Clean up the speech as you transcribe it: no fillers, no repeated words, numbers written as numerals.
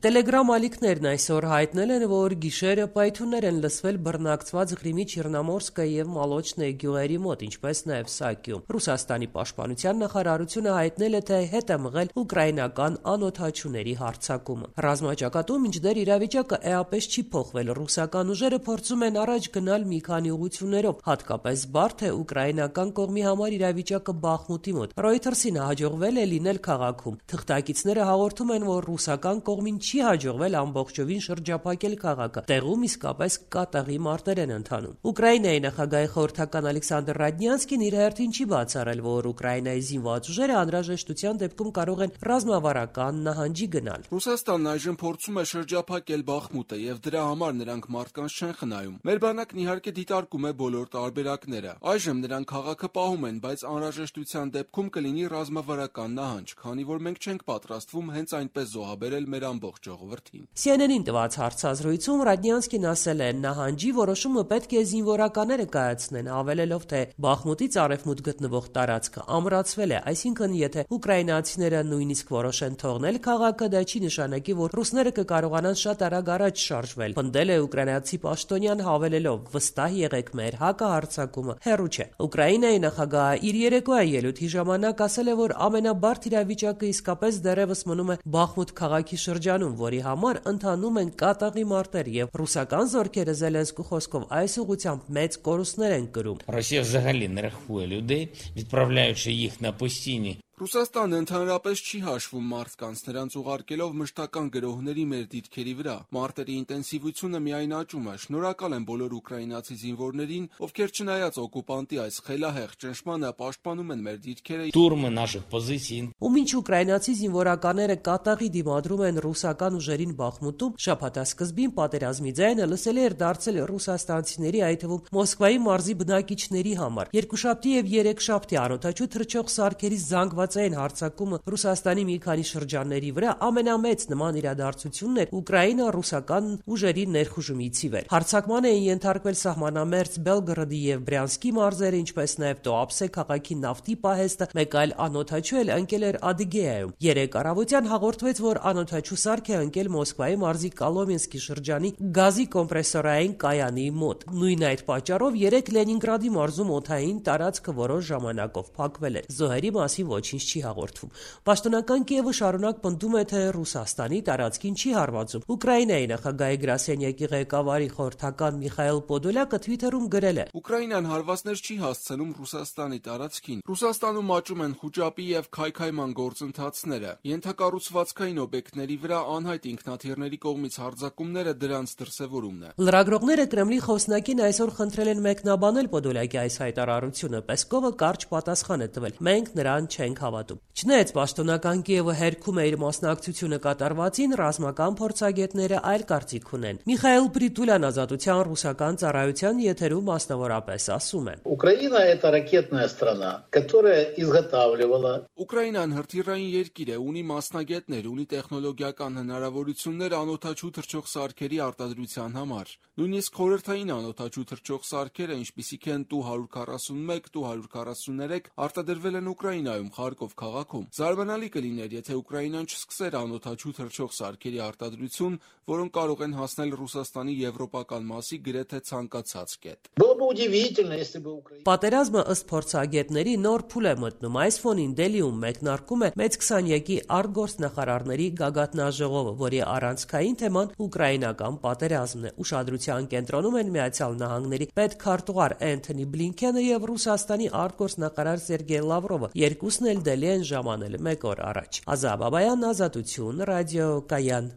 Տելեգրամ ալիքներն այսօր հայտնել են, որ գիշերը պայթյուններ են լսվել բռնակցված Ղրիմի Չեռնոմորսկը եւ Մոլոչնե գյուղերի մոտ, ինչպես նաեւ Սակիում։ Ռուսաստանի պաշտպանության նախարարությունը հայտնել է, թե հետ է մղել ուկրաինական անօդաչուների հարձակումը։ Ռազմաճակատում մինչդեռ իրավիճակը էապես չի փոխվել։ Ռուսական ուժերը փորձում են առաջ գնալ մի քանի ուղղություններով, հատկապես բարդ է ուկրաինական կողմի համար իրավիճակը Բախմուտի մոտ։ Reuters-ին հաջողվել է լինել քաղաքում։ Թղթակիցները հաղորդում են, որ ռուսական կողմին չի հաջողվել ամբողջովին շրջափակել քաղաքը։ Տեղում իսկապես կատաղի մարտեր են ընթանում։ Ուկրաինայի նախագահի խորհրդական Ալեքսանդր Ռադնյանսկին իր հերթին չի բացառել, որ Ուկրաինայի զինված ուժերը անհրաժեշտության դեպքում կարող են ռազմավարական նահանջի գնալ։ Ռուսաստանն այժմ փորձում է շրջափակել Բախմուտը եւ դրա համար նրանք մարդկանց չեն խնայում։ Մեր բանակն իհարկե դիտարկում է բոլոր տարբերակները։ Այժմ նրանք քաղաքը պահում են, բայց անհրաժեշտության դեպքում կլինի ռազմավարական նահանջ, քանի որ մենք չենք պատրաստվում հենց այնպես զոհաբերել մեր ամբողջ ժողովրդին։ CNN-ին տված հարցազրույցում Ռադնյանսկին ասել է, նահանջի որոշումը պետք է զինվորականները կայացնեն, հավելելով, թե Բախմուտից արևմուտք գտնվող տարածքը ամրացվել է, այսինքն եթե ուկրաինացիները նույնիսկ որոշեն թողնել քաղաքը, դա չի նշանակի, որ ռուսները կկարողանան շատ արագ առաջ շարժվել։ Պնդել է ուկրաինացի պաշտոնյան, հավելելով, վստահ եղեք, մեր հակահարձակումը հեռու չէ։ Ուկրաինայի նախագահը իր երեկոյան ելույթի ժամանակ ասել է, որ ամենաբարդ իրավիճակը իսկապես դեռևս մնում է Բախմուտ քաղաքի շրջանում, որի համար ընթանում են կատաղի մարտեր եւ ռուսական զորքերը Զելենսկու խոսքով այս ուղղությամբ մեծ կորուստներ են կրում։ Ռոսիա взагалі не рахує людей, відправляючи їх на постійні. Ռուսաստանը ընդհանրապես չի հաշվում մարդկանց, նրանց ուղարկելով մշտական գրոհների մեր դիրքերի վրա։ Մարտերի ինտենսիվությունը միայն աճում է։ Շնորհակալ եմ բոլոր ուկրաինացի զինվորներին, ովքեր չնայած օկուպանտի այս խելահեղ ճնշմանը պաշտպանում են մեր դիրքերը։ Штурми наших позицій. Ու մինչ ուկրաինացի զինվորականները կատաղի դիմադրում են ռուսական ուժերին Բախմուտում, շաբաթասկզբին պատերազմի ձայնը լսելի էր դարձել ռուսաստանցիների, այդ թվում Մոսկվայի մարզի բնակիչների համար։ Երկուշաբթի եւ երեքշաբթի անօդաչու թռչող սարքերի զանգվածային հարձակումը Ռուսաստանի մի քանի շրջանների վրա ամենամեծ նման իրադարձությունն էր ուկրաինա-ռուսական ուժերի ներխուժումից ի վեր։ Հարձակման էին ենթարկվել սահմանամերձ Բելգորոդի եւ Բրյանսկի մարզերը, ինչպես նաեւ Տոապսե քաղաքի նավթի պահեստը, մեկ այլ անօդաչու էլ ընկել էր Ադիգեայում։ Երեկ առավոտյան հաղորդվեց, որ անօդաչու սարք է ընկել Մոսկվայի մարզի Կոլոմենսկի շրջանի գազի կոմպրեսորային կայանի մոտ։ Նույն այդ պատճառով երեկ Լենինգրադի մարզում օդային տարածքը որոշ ժամանակով փակվել էր։ Զոհերի մասին ոչինչ չի հաղորդվում։ Պաշտոնական Կիևը շարունակ պնդում է, թե Ռուսաստանի տարածքին չի հարվածում։ Ուկրաինայի նախագահի գրասենյակի ղեկավարի խորհրդական Միխայել Պոդոլյակը Twitter-ում գրել է. Ուկրաինան հարվածներ չի հասցնում Ռուսաստանի տարածքին։ Ռուսաստանում աճում են խուճապի եւ քայքայման գործընթացները։ Ենթակառուցվածքային օբյեկտների վրա անհայտ ինքնաթիռների կողմից հարձակումները դրանց դրսևորումն է։ Լրագրողները Կրեմլի խոսնակին այսօր խնդրել են մեկնաբանել Պոդոլյակի այս հայտարարությունը։ Պեսկովը կարճ պատասխան է տվել. մենք նրան չենք հավատում։ Չնայած պաշտոնական Կիևը հերքում է իր մասնակցությունը կատարվածին, ռազմական փորձագետները այլ կարծիք ունեն։ Միխայել Պրիտուլյան Ազատության ռուսական ծառայության եթերում մասնավորապես ասում է. Украина это ракетная страна, которая изготавливала. Ուկրաինան հրթիռային երկիր է, ունի մասնագետներ, ունի տեխնոլոգիական հնարավորություններ անօդաչու թռչող սարքերի արտադրության համար։ Նույնիսկ խորհրդային անօդաչու թռչող սարքերը, ինչպիսիք են Tu-141, Tu-143, արտադրվել են Ուկրաինայում, Խարկով քաղաքում։ Զարմանալի կլիներ, եթե Ուկրաինան չսկսեր անօդաչու թռչող սարքերի արտադրություն, որոնք կարող են հասնել Ռուսաստանի եվրոպական մասի գրեթե ցանկացած կետ։ Было бы удивительно, если бы Украина. Պատերազմը ըստ փորձագետների նոր փուլ է մտնում։ Այս ֆոնին Դելիում մեկնարկում է մեծ 20-յակի արտգործնախարարների գագաթնաժողովը, որի առանցքային թեման ուկրաինական պատերազմն է։ Ուշադրության կենտրոնում են Միացյալ Նահանգների պետքարտուղար Էնթոնի Բլինքենը եւ Ռուսաստանի արտգործնախարար Սերգեյ Լավրովը, երկուսն էլ Դելի են ժամանել մեկ օր առաջ։ Ազա Բաբայան, Ազատություն, ռադիո Կայան։